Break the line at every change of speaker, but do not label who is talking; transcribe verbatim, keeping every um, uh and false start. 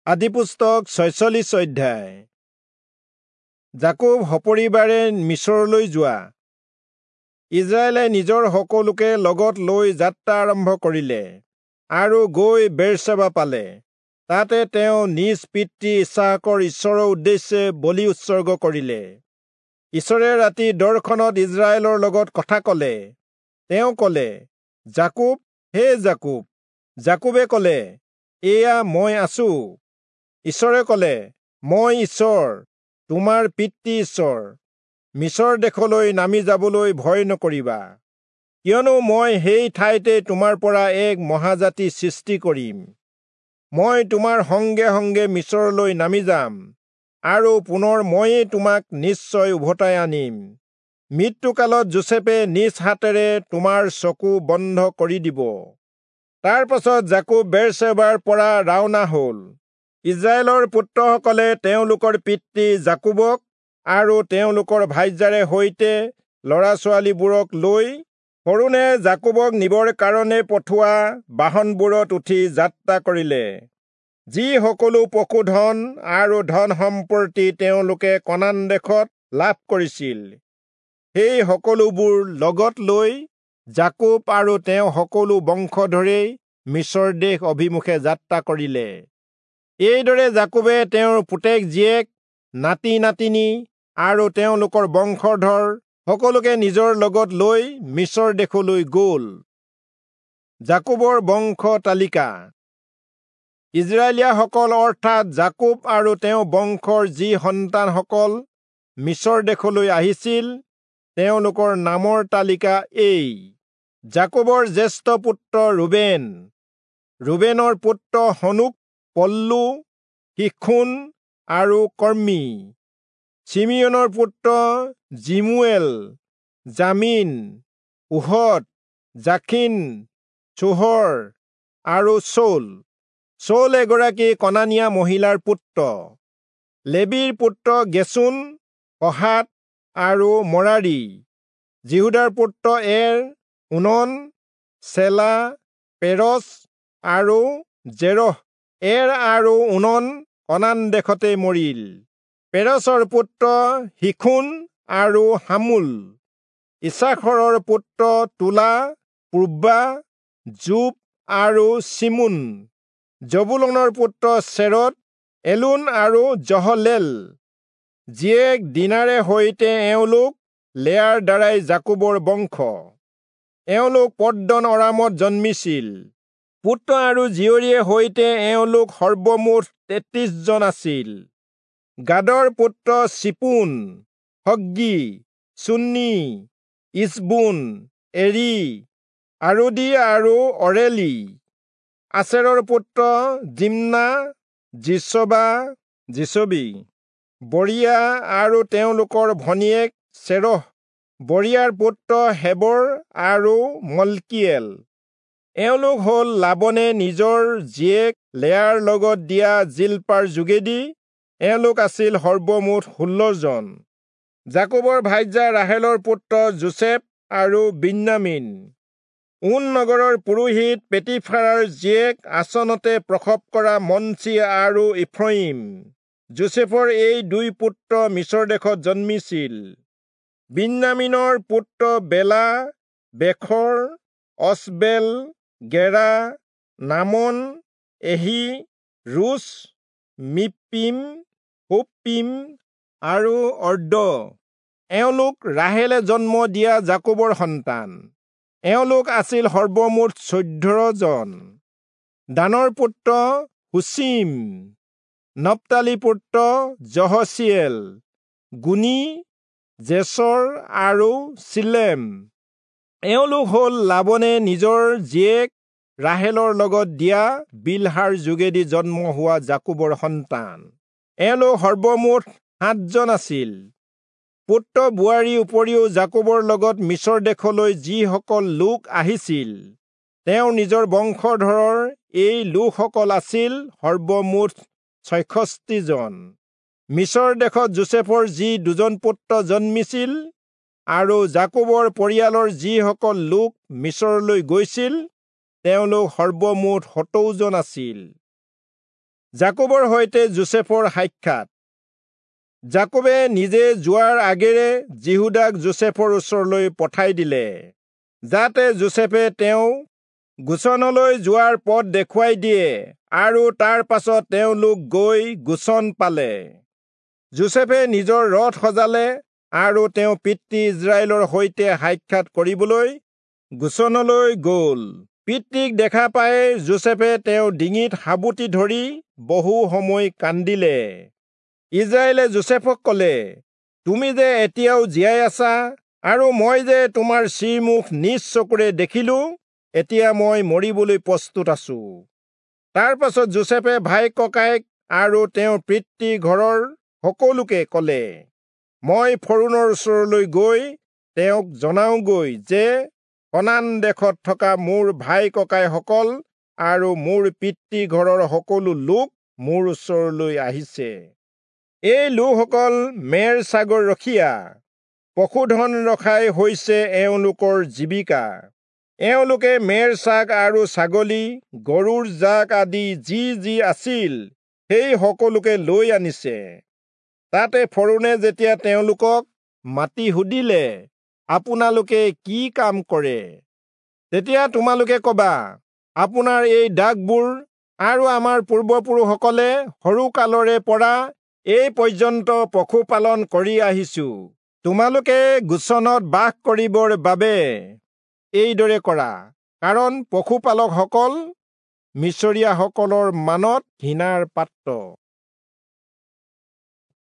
আদিপুস্তক ছয়চল্লিশ অধ্যায়। যাকোব সপৰিবাৰে মিচৰলৈ যোৱা। ইজৰাইলে নিজৰ সকলোকে লগত লৈ যাত্ৰা আৰম্ভ কৰিলে আৰু গৈ বেৰচেবা পালে। তাতে তেওঁ নিজ পিতৃ ইচহাকৰ ঈশ্বৰৰ উদ্দেশ্যে বলি উৎসৰ্গ কৰিলে। ঈশ্বৰে ৰাতি দৰ্শনত ইজৰাইলৰ লগত কথা কলে। তেওঁ কলে, যাকোব, হে যাকোব। যাকোবে কলে, এয়া মই আছো। ঈশ্বৰে কলে, মই ঈশ্বৰ, তোমাৰ পিতৃ ঈশ্বৰ। মিচৰ দেশলৈ নামি যাবলৈ ভয় নকৰিবা, কিয়নো মই সেই ঠাইতে তোমাৰ পৰা এক মহাজাতি সৃষ্টি কৰিম। মই তোমাৰ সংগে সংগে মিচৰলৈ নামি যাম, আৰু পুনৰ ময়েই তোমাক নিশ্চয় উভতাই আনিম। মৃত্যুকালত যোচেফে নিজ হাতেৰে তোমাৰ চকু বন্ধ কৰি দিব। তাৰ পাছত যাকোব বেৰচেবাৰ পৰা ৰাওনা হল। ইজৰাইলৰ পুত্ৰসকলে তেওঁলোকৰ পিতৃ যাকোবক আৰু তেওঁলোকৰ ভাইজাৰে সৈতে ল'ৰা ছোৱালীবোৰক লৈ ফৰোণে যাকোবক নিবৰ কাৰণে পঠোৱা বাহনবোৰত উঠি যাত্ৰা কৰিলে। যি সকলো পশুধন আৰু ধন সম্পত্তি তেওঁলোকে কনান দেশত লাভ কৰিছিল, সেই সকলোবোৰ লগত লৈ যাকোব আৰু তেওঁ সকলো বংশধৰেই মিচৰ দেশ অভিমুখে যাত্ৰা কৰিলে। এইদৰে যাকোবে তেওঁৰ পুতেক জীয়েক, নাতি নাতিনী আৰু তেওঁলোকৰ বংশধৰ সকলোকে নিজৰ লগত লৈ মিচৰ দেশলৈ গল। যাকোবৰ বংশ তালিকা। ইজৰাইলীয়াসকল অৰ্থাৎ যাকোব আৰু তেওঁ বংশৰ যি সন্তানসকল মিচৰ দেশলৈ আহিছিল, তেওঁলোকৰ নামৰ তালিকা এই: যাকোবৰ জ্যেষ্ঠ পুত্ৰ ৰুবেন, ৰুবেনৰ পুত্ৰ হনোক, পল্লু, শিখোন আৰু কৰ্মী। চিমিয়োনৰ পুত্ৰ যিমূৱেল, যামীন, ওহদ, জাখিন, চোহৰ আৰু চৌল। চৌল এগৰাকী কনানীয়া মহিলাৰ পুত্ৰ। লেবীৰ পুত্ৰ গেচোন, কহাত আৰু মৰাৰী। যিহূদাৰ পুত্ৰ এৰ, ওনন, চেলা, পেৰচ আৰু জেৰহ। এৰ আৰু ওনন কনান দেশতে মৰিল। পেৰচৰ পুত্ৰ শিখোন আৰু হামুল। ইচাখৰৰ পুত্ৰ তোলা, পূৰ্বা, জোপ আৰু চিমোন। জবুলনৰ পুত্ৰ চেৰদ, এলোন আৰু জহলেল। জীয়েক দীনাৰে সৈতে এওঁলোক লেয়াৰ দ্বাৰাই যাকোবৰ বংশ। এওঁলোক পদ্দন অৰামত জন্মিছিল। পুত্ৰ আৰু জীয়ৰীয়ে সৈতে এওঁলোক সৰ্বমুঠ তেত্ৰিশ জন আছিল। গাদৰ পুত্ৰ চিপোন, হগ্গী, চুন্নী, ইচবোন, এৰি, আৰোদী আৰু অৰেলী। আচেৰৰ পুত্ৰ জিম্না, যিচবা, যিচবী, বৰিয়া আৰু তেওঁলোকৰ ভনীয়েক চেৰহ। বৰিয়াৰ পুত্ৰ হেবৰ আৰু মল্কীয়েল। এওঁলোক হল লাবনে নিজৰ জীয়েক লেয়াৰ লগত দিয়া জিল্পাৰ যোগেদি। এওঁলোক আছিল সৰ্বমুঠ ষোল্লজন। যাকোবৰ ভাইজা ৰাহেলৰ পুত্ৰ যোচেফ আৰু বিন্যামীন। ঊন নগৰৰ পুৰোহিত পেটিফাৰাৰ জীয়েক আচনতে প্ৰসৱ কৰা মনচি আৰু ইফ্ৰয়িম। যোচেফৰ এই দুই পুত্ৰ মিচৰ দেশত জন্মিছিল। বিন্যামীনৰ পুত্ৰ বেলা, বেখৰ, অচবেল, গেৰা, নামন, এহি, ৰুচ, মিপ্পিম, হুপ্পিম আৰু অৰ্দ। এওঁলোক ৰাহেলে জন্ম দিয়া যাকোবৰ সন্তান। এওঁলোক আছিল সৰ্বমুঠ চৈধ্যজন। দানৰ পুত্ৰ হুচীম, নপ্তালী পুত্ৰ যহচিয়েল, গুণী, জেচৰ আৰু চিলেম। এওঁলোক হল লাবনে নিজৰ জীয়েক ৰাহেলৰ লগত দিয়া বিলহাৰ যোগেদি জন্ম হোৱা যাকোবৰ সন্তান। এওঁলোক সৰ্বমুঠ সাতজন আছিল। পুত্ৰ বোৱাৰীৰ উপৰিও যাকোবৰ লগত মিচৰ দেশলৈ যিসকল লোক আহিছিল, তেওঁৰ নিজৰ বংশধৰৰ এই লোকসকল আছিল সৰ্বমুঠ ছয়ষষ্ঠি জন। মিচৰ দেশত যোচেফৰ যি দুজন পুত্ৰ জন্মিছিল আৰু যাকোবৰ পৰিয়ালৰ যিসকল লোক মিচৰলৈ গৈছিল, তেওঁলোক সৰ্বমুঠ সত্তৰজন আছিল। যাকোবৰ সৈতে যোচেফৰ সাক্ষাৎ। যাকোবে নিজে যোৱাৰ আগেৰে যিহূদাক যোচেফৰ ওচৰলৈ পঠাই দিলে, যাতে যোচেফে তেওঁ গোচনলৈ যোৱাৰ পথ দেখুৱাই দিয়ে, আৰু তাৰ পাছত তেওঁলোক গৈ গোচন পালে। যোচেফে নিজৰ ৰথ সজালে আৰু তেওঁ পিতৃ ইস্ৰায়েলৰ সৈতে সাক্ষাৎ কৰিবলৈ গোচনলৈ গ'ল। পিতৃক দেখা পাই যোচেফে তেওঁ ডিঙিত সাবটি ধৰি বহু সময় কান্দিলে। ইস্ৰায়েলে যোচেফক ক'লে, তুমি যে এতিয়াও জীয়াই আছা আৰু মই যে তোমাৰ শ্ৰীমুখ নিজ চকুৰে দেখিলো, এতিয়া মই মৰিবলৈ প্ৰস্তুত আছো। তাৰ পাছত যোচেফে ভাই ককায়েক আৰু তেওঁৰ পিতৃ ঘৰৰ সকলোকে ক'লে, মই ফৰোণৰ ওচৰলৈ গৈ তেওঁক জনাওগৈ যে কনান দেশত থকা মোৰ ভাই ককাইসকল আৰু মোৰ পিতৃ ঘৰৰ সকলো লোক মোৰ ওচৰলৈ আহিছে। এই লোকসকল মেৰ ছাগৰ ৰখীয়া, পশুধন ৰখাই হৈছে এওঁলোকৰ জীৱিকা। এওঁলোকে মেৰ ছাগ আৰু ছাগলী, গৰুৰ জাক আদি যি যি আছিল সেই সকলোকে লৈ আনিছে। তাতে ফৰোণে যেতিয়া তেওঁলোকক মাতি সুধিলে, আপোনালোকে কি কাম কৰে, তেতিয়া তোমালোকে কবা, আপোনাৰ এই দাসবোৰ আৰু আমাৰ পূৰ্বপুৰুষসকলে সৰুকালৰে পৰা এই পৰ্যন্ত পশুপালন কৰি আহিছো। তোমালোকে গোচনত বাস কৰিবৰ বাবে এইদৰে কৰা, কাৰণ পশুপালকসকল মিচৰীয়াসকলৰ মানত ঘৃণাৰ পাত্ৰ।